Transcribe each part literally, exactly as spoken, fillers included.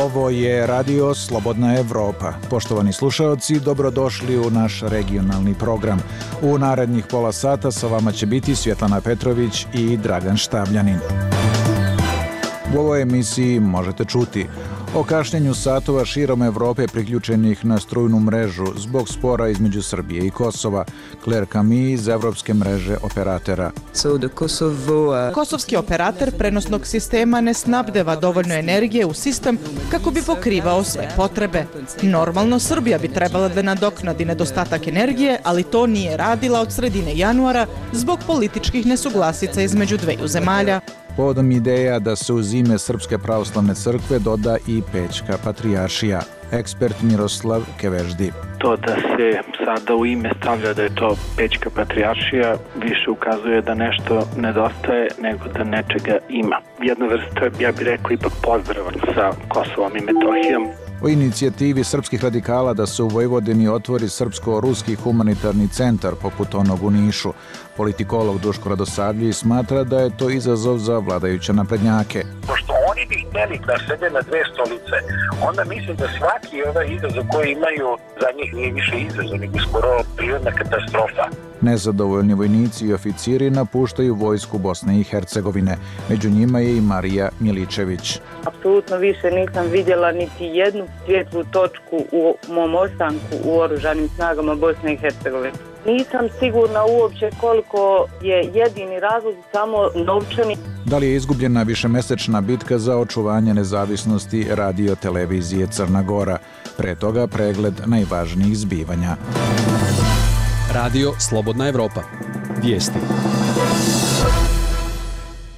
Ovo je Radio Slobodna Evropa. Poštovani slušaoci, dobrodošli u naš regionalni program. U narednih pola sata sa vama će biti Svjetlana Petrović i Dragan Štabljanin. U ovoj emisiji možete čuti o kašnjenju satova širom Evrope priključenih na strujnu mrežu zbog spora između Srbije i Kosova. Claire Camille iz Evropske mreže operatera. Kosovski operator prenosnog sistema ne snabdeva dovoljno energije u sistem kako bi pokrivao sve potrebe. Normalno, Srbija bi trebala da nadoknadi nedostatak energije, ali to nije radila od sredine januara zbog političkih nesuglasica između dveju zemalja. Povodom ideja da se uz ime Srpske pravoslavne crkve doda i Pećka patrijaršija. Ekspert Miroslav Keveždi. To da se sada u ime stavlja da je to Pećka patrijaršija više ukazuje da nešto nedostaje nego da nečega ima. Jedna vrsta, ja bih rekao, ipak pozdrava sa Kosovom i Metohijom. O inicijativi srpskih radikala da se u Vojvodini otvori srpsko-ruski humanitarni centar poput onog u Nišu. Politikolog Duško Radosavljević smatra da je to izazov za vladajuće naprednjake. Pošto oni bi hteli da sede na dve stolice, onda mislim da svaki ovaj izazov koji imaju za njih nije više izazov, nego skoro prirodna katastrofa. Nezadovoljni vojnici i oficiri napuštaju vojsku Bosne i Hercegovine. Među njima je i Marija Miličević. Apsolutno više nisam vidjela niti jednu svjetlu točku u mom ostanku u oružanim snagama Bosne i Hercegovine. Nisam sigurna uopće koliko je jedini razlog samo novčani. Da li je izgubljena višemesečna bitka za očuvanje nezavisnosti radio televizije Crna Gora? Pre toga pregled najvažnijih zbivanja. Radio Slobodna Evropa. Vijesti.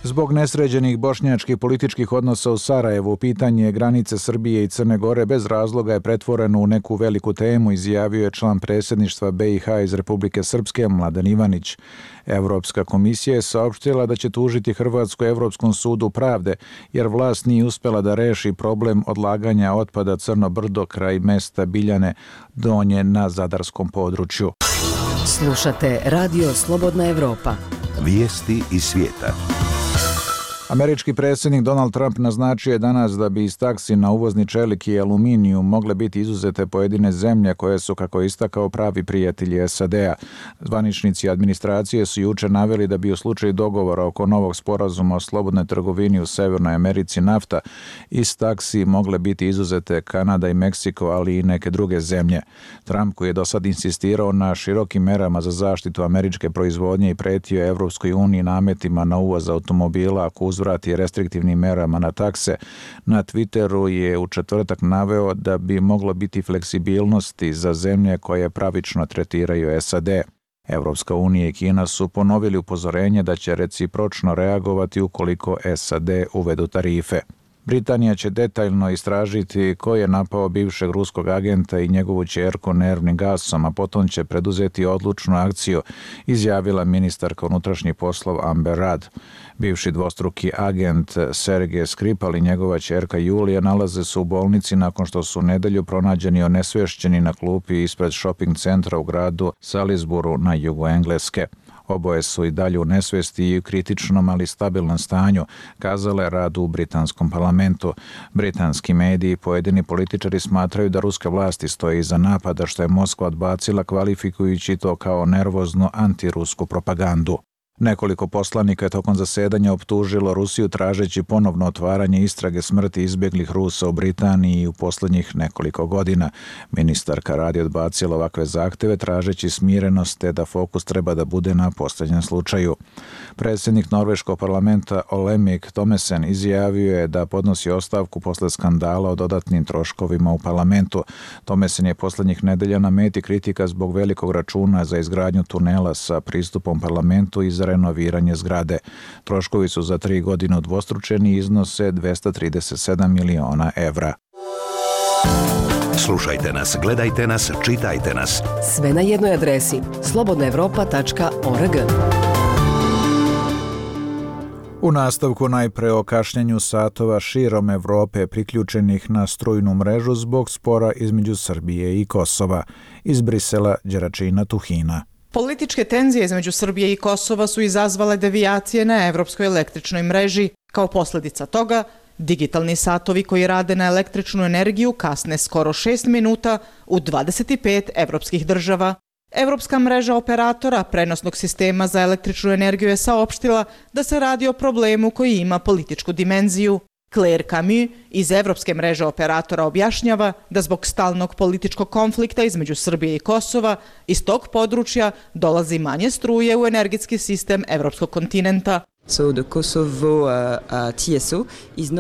Zbog nesređenih bošnjačkih političkih odnosa u Sarajevu, pitanje granice Srbije i Crne Gore bez razloga je pretvoreno u neku veliku temu, izjavio je član predsjedništva B i H iz Republike Srpske Mladen Ivanić. Evropska komisija je saopštila da će tužiti Hrvatsku Evropskom sudu pravde, jer vlast nije uspela da reši problem odlaganja otpada Crno Brdo kraj mesta Biljane Donje na zadarskom području. Slušate Radio Slobodna Evropa. Vijesti iz svijeta. Američki predsjednik Donald Trump naznačio je danas da bi iz taksi na uvozni čelik i aluminiju mogle biti izuzete pojedine zemlje koje su, kako je istakao, pravi prijatelji S A D-a. Zvaničnici administracije su juče naveli da bi u slučaju dogovora oko novog sporazuma o slobodnoj trgovini u Severnoj Americi NAFTA iz taksi mogle biti izuzete Kanada i Meksiko, ali i neke druge zemlje. Trump, koji je do sad insistirao na širokim merama za zaštitu američke proizvodnje i pretio Evropskoj uniji nametima na uvoz automobila ako uzvrati restriktivnim merama na takse, na Twitteru je u četvrtak naveo da bi moglo biti fleksibilnosti za zemlje koje pravično tretiraju S A D. Evropska unija i Kina su ponovili upozorenje da će recipročno reagovati ukoliko S A D uvedu tarife. Britanija će detaljno istražiti ko je napao bivšeg ruskog agenta i njegovu ćerku nervnim gasom, a potom će preduzeti odlučnu akciju, izjavila ministarka unutrašnjih poslova Amber Rudd. Bivši dvostruki agent Sergej Skripal i njegova ćerka Julija nalaze se u bolnici nakon što su u nedelju pronađeni onesvešćeni na klupi ispred shopping centra u gradu Salisburu na jugu Engleske. Oboje su i dalje u nesvesti i u kritičnom, ali stabilnom stanju, kazale Radu u britanskom parlamentu. Britanski mediji i pojedini političari smatraju da ruske vlasti stoje iza napada, što je Moskva odbacila, kvalifikujući to kao nervoznu antirusku propagandu. Nekoliko poslanika je tokom zasedanja optužilo Rusiju tražeći ponovno otvaranje istrage smrti izbjeglih Rusa u Britaniji u posljednjih nekoliko godina. Ministarka radi odbacila ovakve zahteve tražeći smirenost te da fokus treba da bude na posljednjem slučaju. Predsjednik norveškog parlamenta Olemic Thommessen izjavio je da podnosi ostavku posle skandala o dodatnim troškovima u parlamentu. Thommessen je posljednjih nedelja na meti kritika zbog velikog računa za izgradnju tunela sa pristupom parlamentu i za renoviranje zgrade. Troškovi su za tri godine udvostručeni i iznose dvesta trideset sedam miliona evra. Slušajte nas, gledajte nas, čitajte nas. Sve na jednoj adresi slobodna evropa tačka org. U nastavku najpre o kašnjenju satova širom Evrope priključenih na strujnu mrežu zbog spora između Srbije i Kosova. Iz Brisela, Đeračina Tuhina. Političke tenzije između Srbije i Kosova su izazvale devijacije na evropskoj električnoj mreži. Kao posljedica toga, digitalni satovi koji rade na električnu energiju kasne skoro šest minuta u dvadeset pet evropskih država. Evropska mreža operatora prenosnog sistema za električnu energiju je saopštila da se radi o problemu koji ima političku dimenziju. Claire Camus iz Evropske mreže operatora objašnjava da zbog stalnog političkog konflikta između Srbije i Kosova iz tog područja dolazi manje struje u energetski sistem evropskog kontinenta.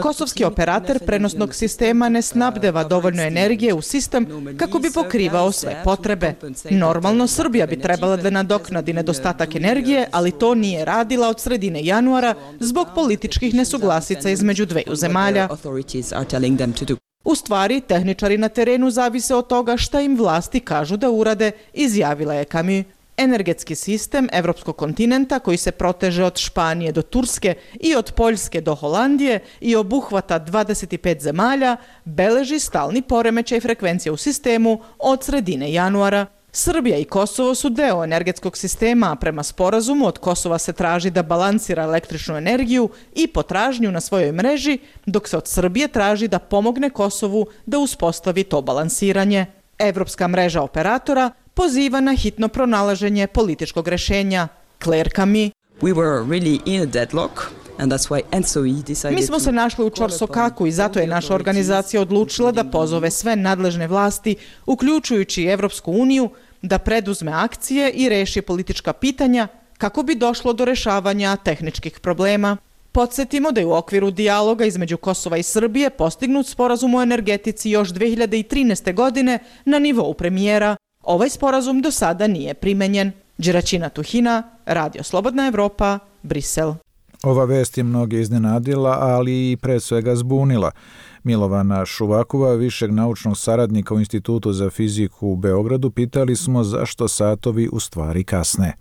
Kosovski operator prenosnog sistema ne snabdeva dovoljno energije u sistem kako bi pokrivao sve potrebe. Normalno, Srbija bi trebala da nadoknadi nedostatak energije, ali to nije radila od sredine januara zbog političkih nesuglasica između dveju zemalja. U stvari, tehničari na terenu zavise od toga šta im vlasti kažu da urade, izjavila je Camus. Energetski sistem evropskog kontinenta koji se proteže od Španije do Turske i od Poljske do Holandije i obuhvata dvadeset pet zemalja, beleži stalni poremećaj frekvencije u sistemu od sredine januara. Srbija i Kosovo su deo energetskog sistema, a prema sporazumu od Kosova se traži da balansira električnu energiju i potražnju na svojoj mreži, dok se od Srbije traži da pomogne Kosovu da uspostavi to balansiranje. Evropska mreža operatora poziva na hitno pronalaženje političkog rešenja. Claire Camus. We were really in a deadlock. Mi smo se našli u ćorsokaku i zato je naša organizacija odlučila da pozove sve nadležne vlasti, uključujući Evropsku uniju, da preduzme akcije i reši politička pitanja kako bi došlo do rešavanja tehničkih problema. Podsjetimo da je u okviru dijaloga između Kosova i Srbije postignut sporazum o energetici još dve hiljade trinaeste. godine na nivou premijera. Ovaj sporazum do sada nije primenjen. Đeraćina Tuhina, Radio Slobodna Evropa, Brisel. Ova vest je mnoge iznenadila, ali i pre svega zbunila. Milovana Šuvakova, višeg naučnog saradnika u Institutu za fiziku u Beogradu, pitali smo zašto satovi u stvari kasne.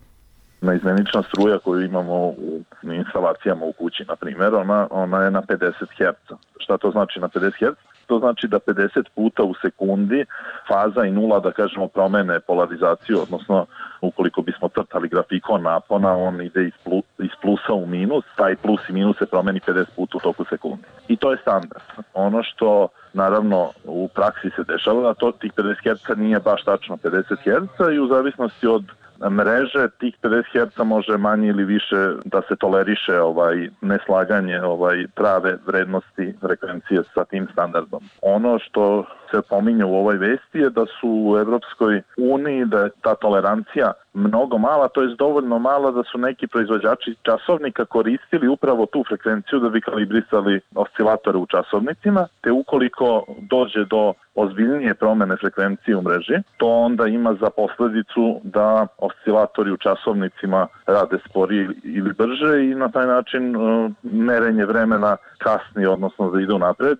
Naizmenična struja koju imamo u instalacijama u kući, na primjer, ona, ona je na pedeset herca. Šta to znači na pedeset herca? To znači da pedeset puta u sekundi faza i nula, da kažemo, promene polarizaciju, odnosno ukoliko bismo crtali grafikon napona, on ide iz, plus, iz plusa u minus, taj plus i minus se promeni pedeset puta u toku sekundi. I to je standard. Ono što naravno u praksi se dešava, a to tih pedeset herca nije baš tačno pedeset herca i u zavisnosti od mreže tih pedeset herca može manje ili više da se toleriše ovaj neslaganje ovaj prave vrednosti frekvencije sa tim standardom. Ono što se pominje u ovoj vesti je da su u Evropskoj uniji da je ta tolerancija mnogo mala, to je dovoljno mala da su neki proizvođači časovnika koristili upravo tu frekvenciju da bi kalibrisali oscilatore u časovnicima, te ukoliko dođe do ozbiljnije promene frekvencije u mreži, to onda ima za posledicu da oscilatori u časovnicima rade sporije ili brže i na taj način uh, merenje vremena kasni, odnosno da ide napred.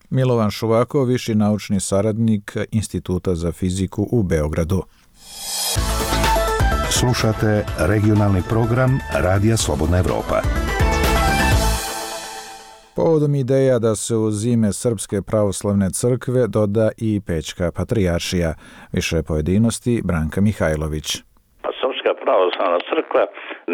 Milovan Šuvakov, viši naučni saradnik Instituta za fiziku u Beogradu. Slušate regionalni program Radija Slobodna Evropa. Povodom ideja da se uz ime Srpske pravoslavne crkve doda i Pećka patrijaršija. Više pojedinosti Branka Mihajlović. Pa Srpska pravoslavna crkva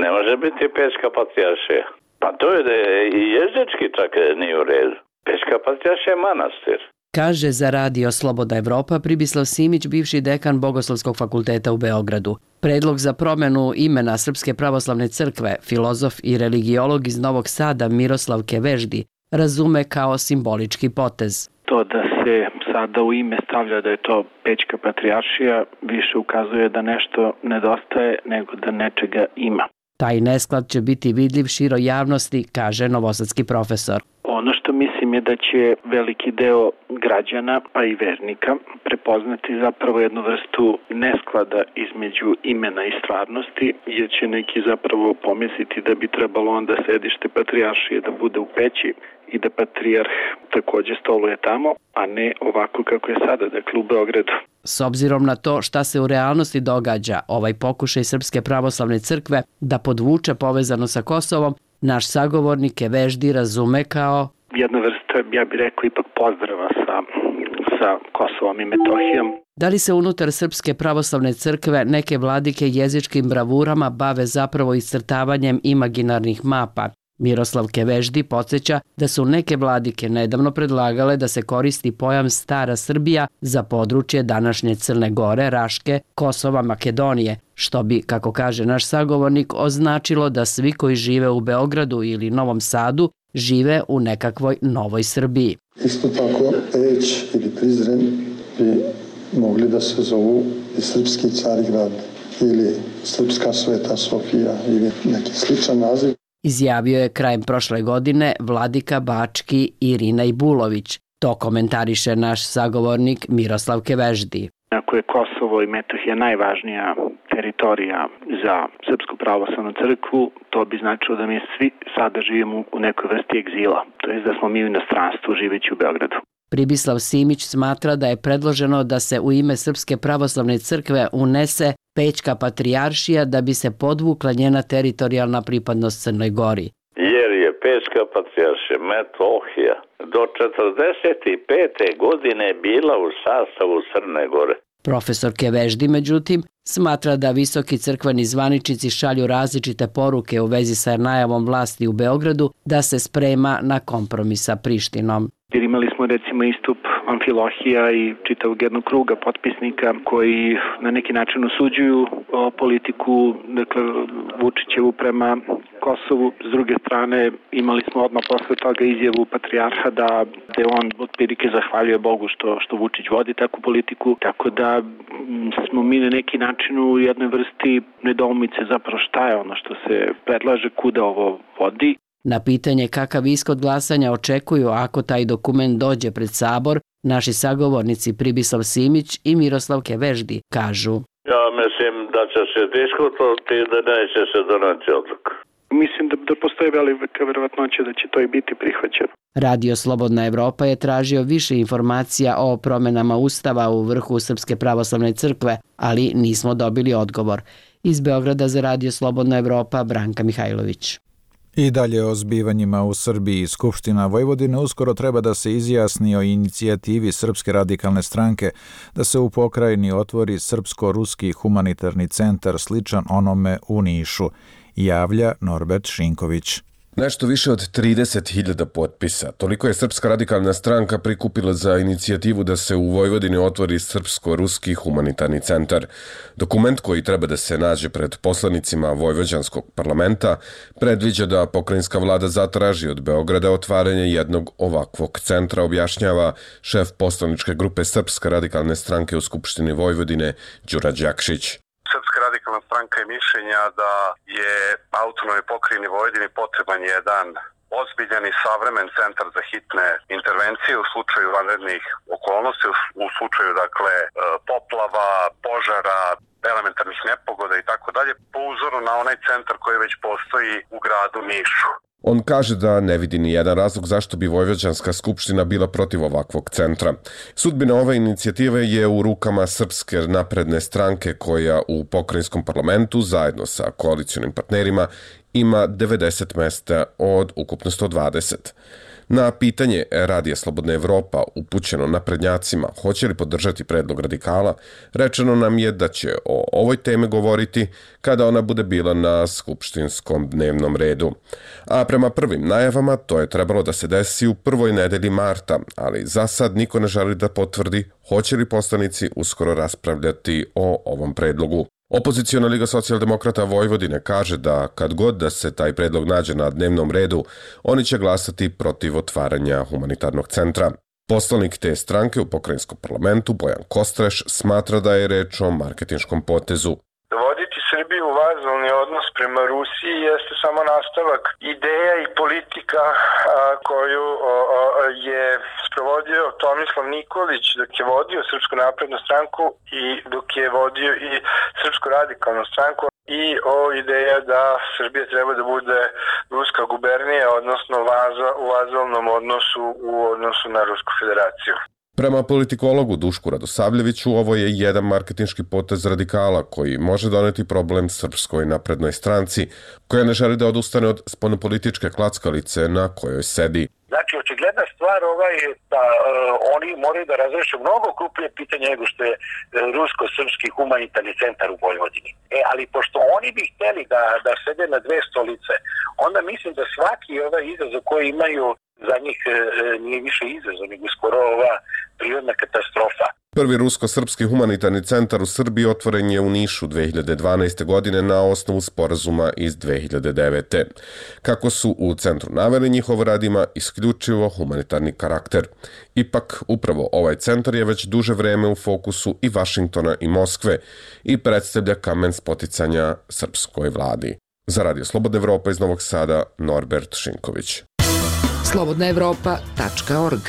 ne može biti Pećka patrijaršija. Pa to je da je i jezički čak nije u redu. Pećka patrijaršija je manastir. Kaže za Radio Slobodna Evropa Pribislav Simić, bivši dekan Bogoslovskog fakulteta u Beogradu. Predlog za promjenu imena Srpske pravoslavne crkve, filozof i religiolog iz Novog Sada Miroslav Keveždi razume kao simbolički potez. To da se sada u ime stavlja da je to Pećka patrijaršija više ukazuje da nešto nedostaje nego da nečega ima. Taj nesklad će biti vidljiv široj javnosti, kaže novosadski profesor. Ono što mislim je da će veliki deo građana, pa i vernika, prepoznati zapravo jednu vrstu nesklada između imena i stvarnosti, jer će neki zapravo pomisliti da bi trebalo onda sedište patrijaršije da bude u Peći i da patrijarh također stoluje tamo, a ne ovako kako je sada, dakle u Beogradu. S obzirom na to šta se u realnosti događa, ovaj pokušaj Srpske pravoslavne crkve da podvuče povezano sa Kosovom, naš sagovornik Keveždi razume kao jedna vrsta, ja bih rekao, ipak pozdrava sa, sa sa Kosovom i Metohijom. Da li se unutar Srpske pravoslavne crkve neke vladike jezičkim bravurama bave zapravo iscrtavanjem imaginarnih mapa? Miroslav Keveždi podsjeća da su neke vladike nedavno predlagale da se koristi pojam Stara Srbija za područje današnje Crne Gore, Raške, Kosova, Makedonije, što bi, kako kaže naš sagovornik, označilo da svi koji žive u Beogradu ili Novom Sadu žive u nekakvoj novoj Srbiji. Isto tako, Peć ili Prizren bi mogli da se zovu i Srpski Carigrad ili Srpska Sveta Sofija ili neki sličan naziv. Izjavio je krajem prošle godine vladika Bački Irina Ibulović. To komentariše naš sagovornik Miroslav Keveždi. Ako je Kosovo i Metohija najvažnija teritorija za Srpsku pravoslavnu crkvu, to bi značilo da mi svi sada živimo u nekoj vrsti egzila, to je da smo mi u inostranstvu živeći u Beogradu. Pribislav Simić smatra da je predloženo da se u ime Srpske pravoslavne crkve unese Pećka patrijaršija da bi se podvukla njena teritorijalna pripadnost Crnoj Gori. Jer je Pećka patrijaršija Metohija do četrdeset pete godine bila u sastavu Crne Gore. Profesor Keveždi, međutim, smatra da visoki crkveni zvaničnici šalju različite poruke u vezi sa najavom vlasti u Beogradu da se sprema na kompromis sa Prištinom. Jer imali smo recimo istup Amfilohija i čitavog jednog kruga potpisnika koji na neki način osuđuju politiku, dakle, Vučićevu prema Kosovu. S druge strane imali smo odmah posle toga izjavu patrijarha da, da on otprilike zahvaljuje Bogu što, što Vučić vodi takvu politiku, tako da smo mi na neki način u jednoj vrsti nedoumice zapravo šta je ono što se predlaže, kuda ovo vodi. Na pitanje kakav ishod glasanja očekuju ako taj dokument dođe pred Sabor, naši sagovornici Pribislav Simić i Miroslav Keveždi kažu: Ja mislim da će se diskutovati i da neće se doneti odluka. Mislim da, da postoji velika verovatnoća da će to i biti prihvaćeno. Radio Slobodna Evropa je tražio više informacija o promenama Ustava u vrhu Srpske pravoslavne crkve, ali nismo dobili odgovor. Iz Beograda za Radio Slobodna Evropa, Branka Mihajlović. I dalje o zbivanjima u Srbiji. Skupština Vojvodine uskoro treba da se izjasni o inicijativi Srpske radikalne stranke da se u pokrajini otvori Srpsko-ruski humanitarni centar sličan onome u Nišu, javlja Norbert Šinković. Nešto više od trideset hiljada potpisa. Toliko je Srpska radikalna stranka prikupila za inicijativu da se u Vojvodini otvori Srpsko-ruski humanitarni centar. Dokument koji treba da se nađe pred poslanicima Vojvođanskog parlamenta predviđa da pokrajinska vlada zatraži od Beograda otvaranje jednog ovakvog centra, objašnjava šef poslaničke grupe Srpske radikalne stranke u Skupštini Vojvodine Đura Đakšić. Srpska radikalna stranka je mišljenja da je autonomnoj pokrajini Vojvodini potreban jedan ozbiljan i savremen centar za hitne intervencije u slučaju vanrednih okolnosti, u slučaju dakle poplava, požara, elementarnih nepogoda i tako dalje, po uzoru na onaj centar koji već postoji u gradu Nišu. On kaže da ne vidi ni jedan razlog zašto bi Vojvođanska skupština bila protiv ovakvog centra. Sudbina ove inicijative je u rukama Srpske napredne stranke koja u pokrajinskom parlamentu zajedno sa koalicionim partnerima ima devedeset mesta od ukupno sto dvadeset. Na pitanje Radija Slobodna Evropa upućeno naprednjacima hoće li podržati predlog radikala, rečeno nam je da će o ovoj teme govoriti kada ona bude bila na skupštinskom dnevnom redu. A prema prvim najavama to je trebalo da se desi u prvoj nedelji marta, ali za sad niko ne želi da potvrdi hoće li poslanici uskoro raspravljati o ovom predlogu. Opoziciona Liga socijaldemokrata Vojvodine kaže da kad god da se taj predlog nađe na dnevnom redu, oni će glasati protiv otvaranja humanitarnog centra. Poslanik te stranke u pokrajinskom parlamentu Bojan Kostreš smatra da je reč o marketinškom potezu. Dovoditi Srbiju u vazalni odnos prema Rusiji jeste samo nastavak ideja i politika a, koju a, a, je sprovodio Tomislav Nikolić dok je vodio Srpsku naprednu stranku i dok je vodio i Srpsku radikalnu stranku, i o ideja da Srbija treba da bude ruska gubernija, odnosno vaza, u vazalnom odnosu u odnosu na Rusku federaciju. Prema politikologu Dušku Radosavljeviću, ovo je jedan marketinški potez radikala koji može doneti problem Srpskoj naprednoj stranci, koja ne želi da odustane od spoljnopolitičke klackalice na kojoj sedi. Znači, očigledna stvar ovaj je da uh, oni moraju da razreše mnogo krupnije pitanje nego što je uh, rusko-srpski humanitarni centar u Vojvodini. E, ali pošto oni bi hteli da, da sede na dve stolice, onda mislim da svaki ovaj izazov koji imaju za njih uh, nije više izazov, nego skoro ova prirodna katastrofa. Prvi rusko-srpski humanitarni centar u Srbiji otvoren je u Nišu dve hiljade dvanaeste. godine na osnovu sporazuma iz dve hiljade devete. Kako su u centru naveli, njihov rad ima isključivo humanitarni karakter. Ipak, upravo ovaj centar je već duže vreme u fokusu i Vašingtona i Moskve i predstavlja kamen spoticanja srpskoj vladi. Za Radio Slobodna Evropa iz Novog Sada, Norbert Šinković. slobodna evropa tačka org.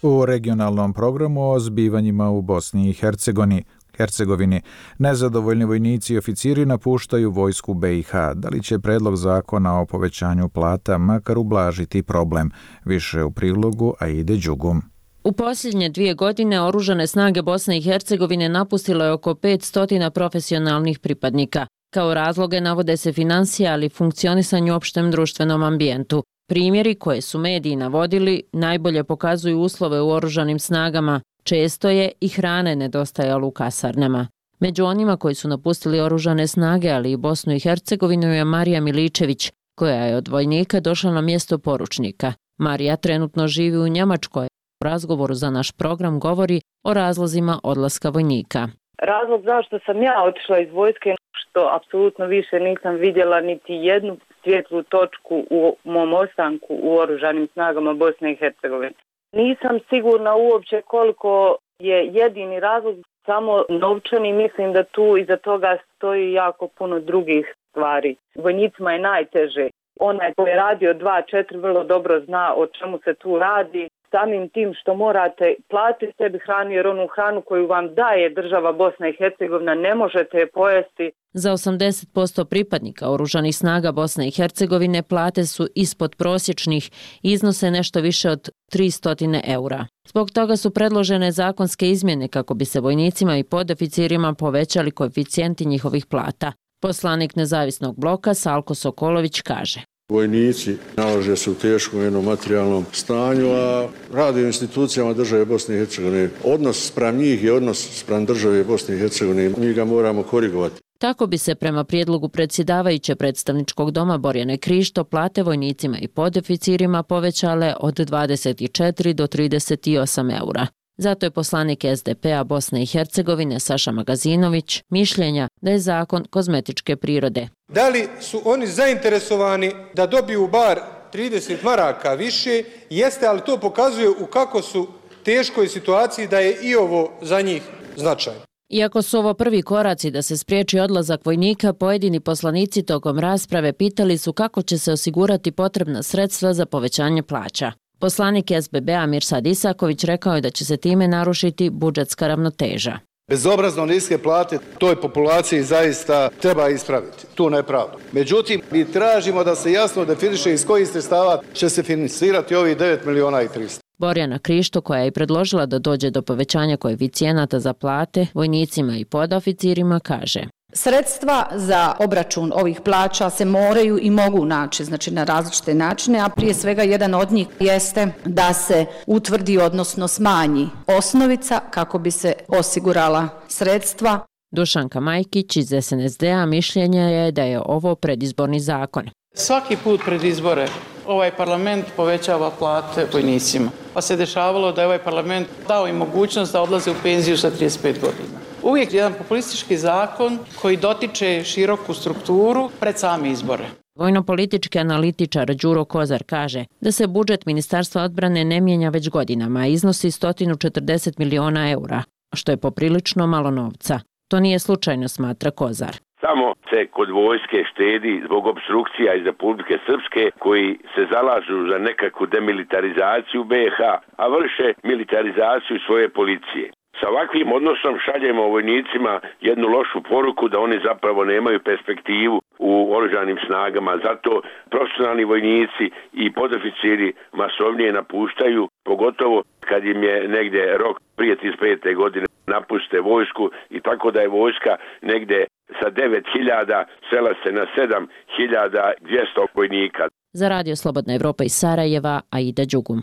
U regionalnom programu o zbivanjima u Bosni i Hercegovini, Hercegovini nezadovoljni vojnici i oficiri napuštaju vojsku be i ha. Da li će predlog zakona o povećanju plata makar ublažiti problem? Više u prilogu Aide Đugum. U posljednje dvije godine oružane snage Bosne i Hercegovine napustilo je oko petsto profesionalnih pripadnika. Kao razloge navode se financije, ali i funkcionisanje u opštem društvenom ambijentu. Primjeri koje su mediji navodili najbolje pokazuju uslove u oružanim snagama. Često je i hrane nedostajalo u kasarnama. Među onima koji su napustili oružane snage, ali i Bosnu i Hercegovinu, je Marija Miličević, koja je od vojnika došla na mjesto poručnika. Marija trenutno živi u Njemačkoj. U razgovoru za naš program govori o razlozima odlaska vojnika. Razlog zašto sam ja otišla iz vojske, što apsolutno više nisam vidjela niti jednu svjetlu točku u mom ostanku u oružanim snagama Bosne i Hercegovine. Nisam sigurna uopće koliko je jedini razlog samo novčani, mislim da tu iza toga stoji jako puno drugih stvari. Vojnicima je najteže. Onaj koji je radio dva četiri vrlo dobro zna o čemu se tu radi. Samim tim što morate platiti sebi hranu, jer onu hranu koju vam daje država Bosna i Hercegovina ne možete je pojesti. Za osamdeset posto pripadnika oružanih snaga Bosne i Hercegovine plate su ispod prosječnih i iznose nešto više od tristo eura. Zbog toga su predložene zakonske izmjene kako bi se vojnicima i podoficirima povećali koeficijenti njihovih plata. Poslanik Nezavisnog bloka Salko Sokolović kaže: Vojnici nalaže se u teškom jednom materijalnom stanju, a radi u institucijama države Bosne i Hercegovine. Odnos spram njih je odnos spram države Bosne i Hercegovine. Mi ga moramo korigovati. Tako bi se prema prijedlogu predsjedavajuće predstavničkog doma Borjane Krišto plate vojnicima i podoficirima povećale od dvadeset četiri do trideset osam eura. Zato je poslanik es de pe a Bosne i Hercegovine Saša Magazinović mišljenja da je zakon kozmetičke prirode. Da li su oni zainteresovani da dobiju bar trideset maraka više? Jeste, ali to pokazuje u kako su teškoj situaciji da je i ovo za njih značajno. Iako su ovo prvi koraci da se spriječi odlazak vojnika, pojedini poslanici tokom rasprave pitali su kako će se osigurati potrebna sredstva za povećanje plaća. Poslanik es be be a Mirsad Isaković rekao je da će se time narušiti budžetska ravnoteža. Bezobrazno niske plate toj populaciji zaista treba ispraviti tu nepravdu. Međutim, mi tražimo da se jasno definiše iz kojih sredstava će se finansirati ovih devet miliona i tristo. Borjana Krišto, koja je i predložila da dođe do povećanja koeficijenata za plate vojnicima i podoficirima, kaže: Sredstva za obračun ovih plaća se moraju i mogu naći, znači na različite načine, a prije svega jedan od njih jeste da se utvrdi, odnosno smanji osnovica kako bi se osigurala sredstva. Dušanka Majkić iz es en es de a mišljenja je da je ovo predizborni zakon. Svaki put pred izbore ovaj parlament povećava plate vojnicima, pa se dešavalo da je ovaj parlament dao im mogućnost da odlaze u penziju sa trideset pet godina. Uvijek jedan populistički zakon koji dotiče široku strukturu pred same izbore. Vojno-politički analitičar Đuro Kozar kaže da se budžet Ministarstva odbrane ne mijenja već godinama, a iznosi sto četrdeset miliona eura, što je poprilično malo novca. To nije slučajno, smatra Kozar. Samo se kod vojske štedi zbog opstrukcija iz Republike Srpske koji se zalažu za nekakvu demilitarizaciju be ha, a vrše militarizaciju svoje policije. Sa ovakvim odnosom šaljemo vojnicima jednu lošu poruku da oni zapravo nemaju perspektivu u oružanim snagama. Zato profesionalni vojnici i podoficiri masovnije napuštaju, pogotovo kad im je negdje rok prije trideset pete godine napuste vojsku, i tako da je vojska negdje sa devet hiljada sela se na sedam hiljada dvjesto vojnika. Za Radio Slobodna Evropa iz Sarajeva, Aida Đugum.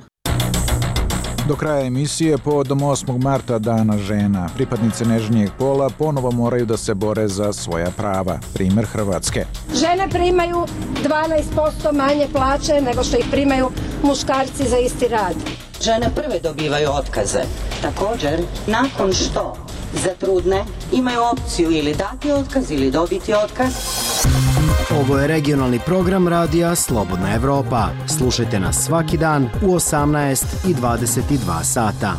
Do kraja emisije, povodom osmog marta, Dana žena, pripadnice nežnijeg pola ponovo moraju da se bore za svoja prava. Primer Hrvatske. Žene primaju dvanaest posto manje plaće nego što ih primaju muškarci za isti rad. Žene prve dobivaju otkaze. Također, nakon što zatrudne, imaju opciju ili dati otkaz ili dobiti otkaz. Ovo je regionalni program radija Slobodna Evropa. Slušajte nas svaki dan u osamnaest i dvadeset dva sata.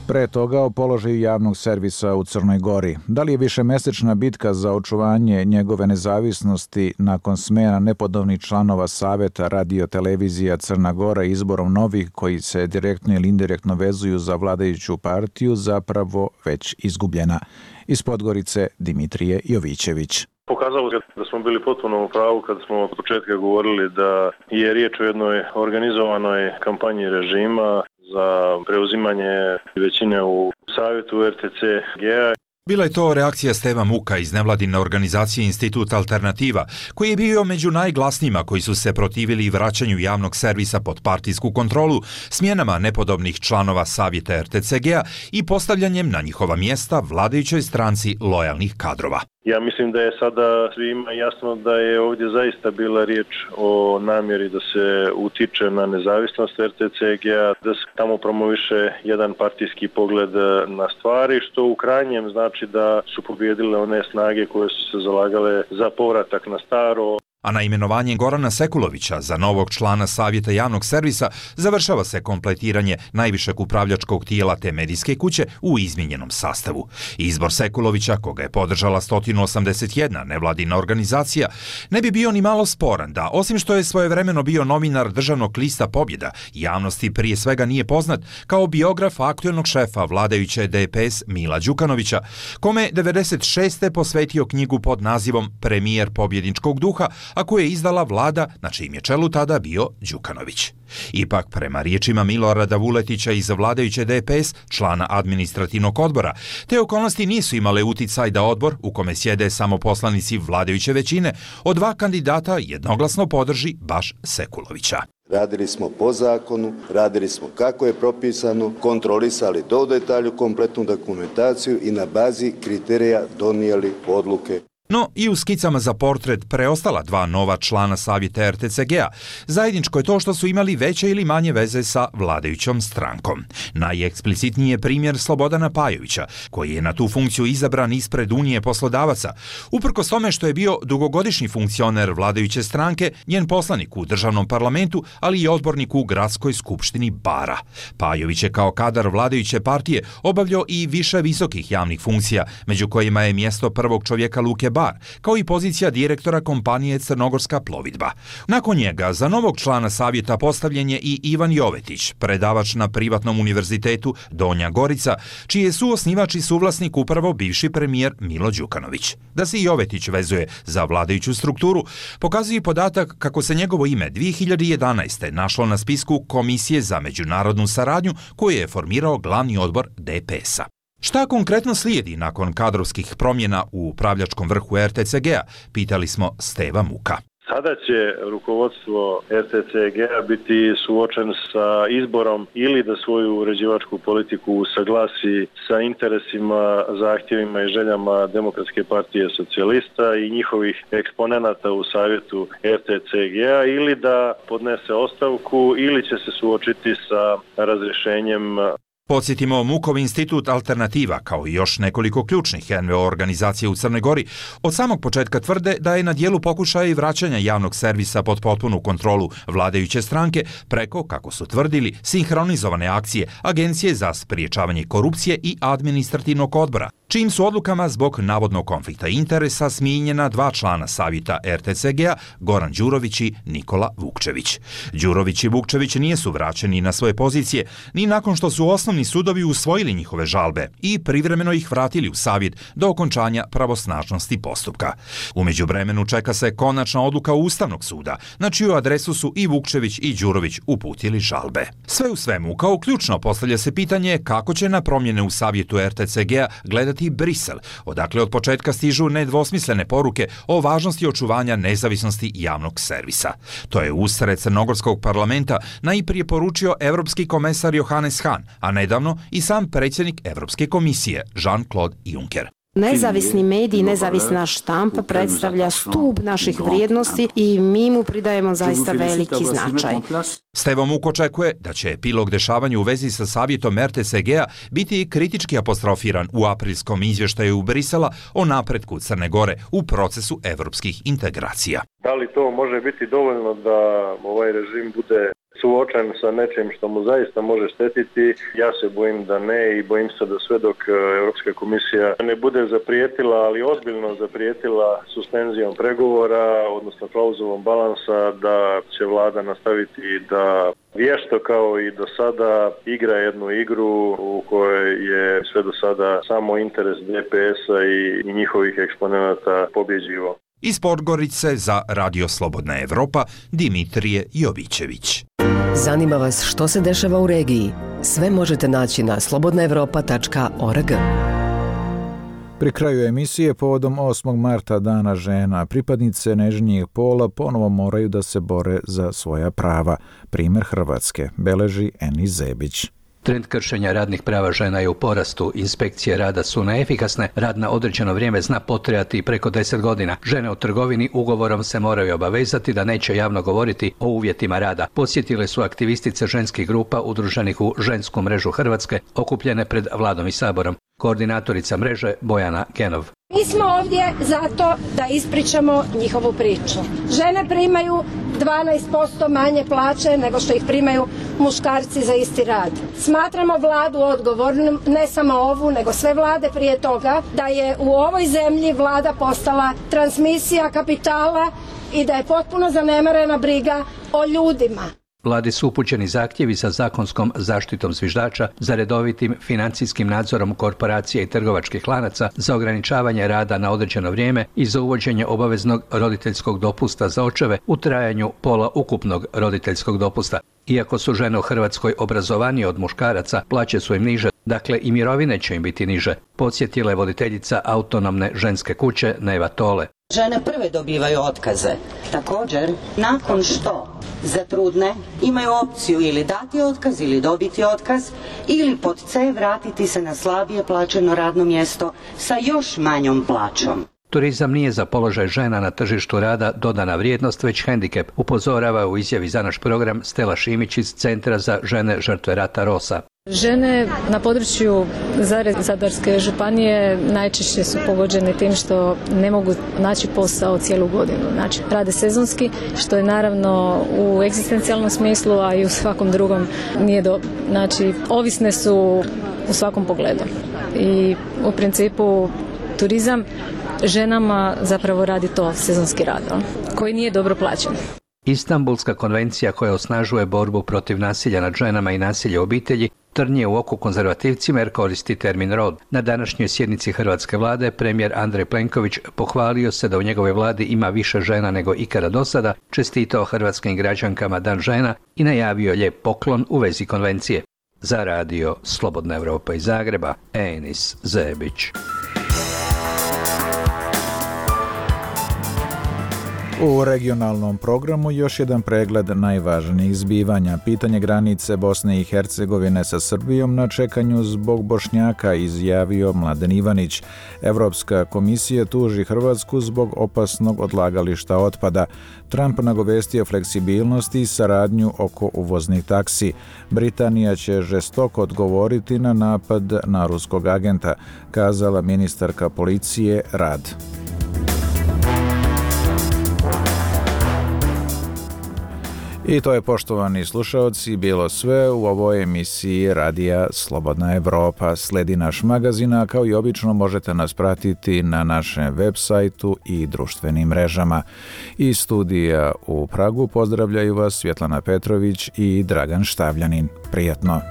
Pre toga o položaju javnog servisa u Crnoj Gori. Da li je višemesečna bitka za očuvanje njegove nezavisnosti nakon smena nepodobnih članova Saveta radio-televizija Crna Gora izborom novih koji se direktno ili indirektno vezuju za vladajuću partiju zapravo već izgubljena? Iz Podgorice Dimitrije Jovićević. Pokazalo se da smo bili potpuno u pravu kad smo od početka govorili da je riječ o jednoj organizovanoj kampanji režima za preuzimanje većine u savjetu R T C G-a. Bila je to reakcija Steva Muka iz nevladine organizacije Institut Alternativa, koji je bio među najglasnijima koji su se protivili vraćanju javnog servisa pod partijsku kontrolu, smjenama nepodobnih članova savjeta R T C G-a i postavljanjem na njihova mjesta vladajućoj stranci lojalnih kadrova. Ja mislim da je sada svima jasno da je ovdje zaista bila riječ o namjeri da se utiče na nezavisnost R T C G-a, da se tamo promoviše jedan partijski pogled na stvari, što u krajnjem znači da su pobjedile one snage koje su se zalagale za povratak na staro. A na imenovanje Gorana Sekulovića za novog člana Savjeta javnog servisa završava se kompletiranje najvišeg upravljačkog tijela te medijske kuće u izmijenjenom sastavu. Izbor Sekulovića, koga je podržala sto osamdeset jedna nevladina organizacija, ne bi bio ni malo sporan da, osim što je svojevremeno bio novinar državnog lista Pobjeda, javnosti prije svega nije poznat kao biograf aktuelnog šefa vladajuće D P S Mila Đukanovića, kome devedeset šeste posvetio knjigu pod nazivom Premijer pobjedničkog duha, a koje je izdala vlada na čijem je čelu tada bio Đukanović. Ipak, prema riječima Milorada Vuletića iz vladajuće D P S, člana administrativnog odbora, te okolnosti nisu imale uticaj da odbor, u kome sjede samo poslanici vladajuće većine, od dva kandidata jednoglasno podrži baš Sekulovića. Radili smo po zakonu, radili smo kako je propisano, kontrolisali do detalju kompletnu dokumentaciju i na bazi kriterija donijeli odluke. No i u skicama za portret preostala dva nova člana savjeta R T C G-a. Zajedničko je to što su imali veće ili manje veze sa vladajućom strankom. Najeksplicitniji je primjer Slobodana Pajovića, koji je na tu funkciju izabran ispred Unije poslodavaca. Uprkos tome što je bio dugogodišnji funkcioner vladajuće stranke, njen poslanik u državnom parlamentu, ali i odbornik u gradskoj skupštini Bara. Pajović je kao kadar vladajuće partije obavljao i više visokih javnih funkcija, među kojima je mjesto prvog čovjeka Luke Bar, kao i pozicija direktora kompanije Crnogorska plovidba. Nakon njega za novog člana savjeta postavljen je i Ivan Jovetić, predavač na privatnom univerzitetu Donja Gorica, čiji je suosnivač i suvlasnik upravo bivši premijer Milo Đukanović. Da se Jovetić vezuje za vladajuću strukturu, pokazuje i podatak kako se njegovo ime dvije hiljade jedanaeste. našlo na spisku Komisije za međunarodnu saradnju koju je formirao glavni odbor D P S-a. Šta konkretno slijedi nakon kadrovskih promjena u upravljačkom vrhu R T C G-a, pitali smo Steva Muka. Sada će rukovodstvo R T C G-a biti suočen sa izborom ili da svoju uređivačku politiku usaglasi sa interesima, zahtjevima i željama Demokratske partije socijalista i njihovih eksponenata u savjetu R T C G-a ili da podnese ostavku ili će se suočiti sa razrješenjem. Podsjetimo, Mukov institut Alternativa, kao i još nekoliko ključnih N V O organizacija u Crnoj Gori, od samog početka tvrde da je na dijelu pokušaja i vraćanja javnog servisa pod potpunu kontrolu vladajuće stranke preko, kako su tvrdili, sinhronizovane akcije Agencije za spriječavanje korupcije i administrativnog odbora, čijim su odlukama zbog navodnog konflikta interesa smijenjena dva člana savjeta R T C G-a, Goran Đurović i Nikola Vukčević. Đurović i Vukčević nisu vraćeni na svoje pozicije ni nakon što su osnovni Ustavni sudovi usvojili njihove žalbe i privremeno ih vratili u savjet do okončanja pravosnažnosti postupka. U međuvremenu čeka se konačna odluka Ustavnog suda, na čiju adresu su i Vukčević i Đurović uputili žalbe. Sve u svemu, kao ključno postavlja se pitanje kako će na promjene u savjetu R T C G-a gledati Brisel, odakle od početka stižu nedvosmislene poruke o važnosti očuvanja nezavisnosti javnog servisa. To je usred crnogorskog parlamenta najprije poručio evropski komesar Johannes Hahn, a nedavno i sam predsjednik Evropske komisije Jean-Claude Juncker. Nezavisni mediji, nezavisna štampa predstavlja stup naših vrijednosti i mi mu pridajemo zaista veliki značaj. Stevo Muk očekuje da će epilog dešavanja u vezi sa savjetom R T C G-a biti kritički apostrofiran u aprilskom izvještaju Brisela o napretku Crne Gore u procesu evropskih integracija. Da li to može biti dovoljno da ovaj režim bude suočen sa nečim što mu zaista može štetiti? Ja se bojim da ne i bojim se da sve dok Europska komisija ne bude zaprijetila, ali ozbiljno zaprijetila suspenzijom pregovora, odnosno klauzulom balansa, da će vlada nastaviti da vješto kao i do sada igra jednu igru u kojoj je sve do sada samo interes D P S-a i, i njihovih eksponenata pobjeđivo. Iz Podgorice za Radio Slobodna Evropa, Dimitrije Jovićević. Zanima vas što se dešava u regiji? Sve možete naći na slobodna evropa tačka org. Pri kraju emisije povodom osmog marta Dana žena, pripadnice nežnijeg pola ponovo moraju da se bore za svoja prava. Primjer Hrvatske beleži Eni Zebić. Trend kršenja radnih prava žena je u porastu. Inspekcije rada su neefikasne, rad na određeno vrijeme zna potrajati preko deset godina. Žene u trgovini ugovorom se moraju obavezati da neće javno govoriti o uvjetima rada. Podsjetile su aktivistice ženskih grupa udruženih u Žensku mrežu Hrvatske, okupljene pred Vladom i Saborom. Koordinatorica mreže Bojana Genov. Mi smo ovdje zato da ispričamo njihovu priču. Žene primaju dvanaest posto manje plaće nego što ih primaju muškarci za isti rad. Smatramo vladu odgovornom, ne samo ovu, nego sve vlade prije toga, da je u ovoj zemlji vlada postala transmisija kapitala i da je potpuno zanemarena briga o ljudima. Vladi su upućeni zahtjevi za zakonskom zaštitom zviždača, za redovitim financijskim nadzorom korporacija i trgovačkih lanaca, za ograničavanje rada na određeno vrijeme i za uvođenje obaveznog roditeljskog dopusta za očeve u trajanju pola ukupnog roditeljskog dopusta. Iako su žene u Hrvatskoj obrazovanije od muškaraca, plaće su im niže, dakle i mirovine će im biti niže, podsjetila je voditeljica autonomne ženske kuće Neva Tole. Žene prve dobivaju otkaze. Također, nakon što za trudne imaju opciju ili dati otkaz ili dobiti otkaz ili pod C vratiti se na slabije plaćeno radno mjesto sa još manjom plaćom. Turizam nije za položaj žena na tržištu rada dodana vrijednost, već hendikep, upozorava u izjavi za naš program Stela Šimić iz Centra za žene žrtve rata Rosa. Žene na području Zadarske županije najčešće su pogođene tim što ne mogu naći posao cijelu godinu. Znači, rade sezonski, što je naravno u egzistencijalnom smislu, a i u svakom drugom nije dobro. Znači, ovisne su u svakom pogledu. I u principu turizam ženama zapravo radi to sezonski rad, koji nije dobro plaćen. Istanbulska konvencija koja osnažuje borbu protiv nasilja nad ženama i nasilja u obitelji trnje u oku konzervativcima jer koristi termin rod. Na današnjoj sjednici hrvatske vlade premijer Andrej Plenković pohvalio se da u njegovoj vladi ima više žena nego ikada do sada, čestitao hrvatskim građankama Dan žena i najavio lijep poklon u vezi konvencije. Za radio Slobodna Evropa iz Zagreba, Enis Zebić. U regionalnom programu još jedan pregled najvažnijih zbivanja. Pitanje granice Bosne i Hercegovine sa Srbijom na čekanju zbog Bošnjaka, izjavio Mladen Ivanić. Evropska komisija tuži Hrvatsku zbog opasnog odlagališta otpada. Trump nagovestio fleksibilnosti i saradnju oko uvoznih taksi. Britanija će žestoko odgovoriti na napad na ruskog agenta, kazala ministarka policije Rad. I to je, poštovani slušaoci, bilo sve u ovoj emisiji Radija Slobodna Evropa. Sledi naš magazin, a kao i obično možete nas pratiti na našem web sajtu i društvenim mrežama. Iz studija u Pragu pozdravljaju vas Svjetlana Petrović i Dragan Štavljanin. Prijatno!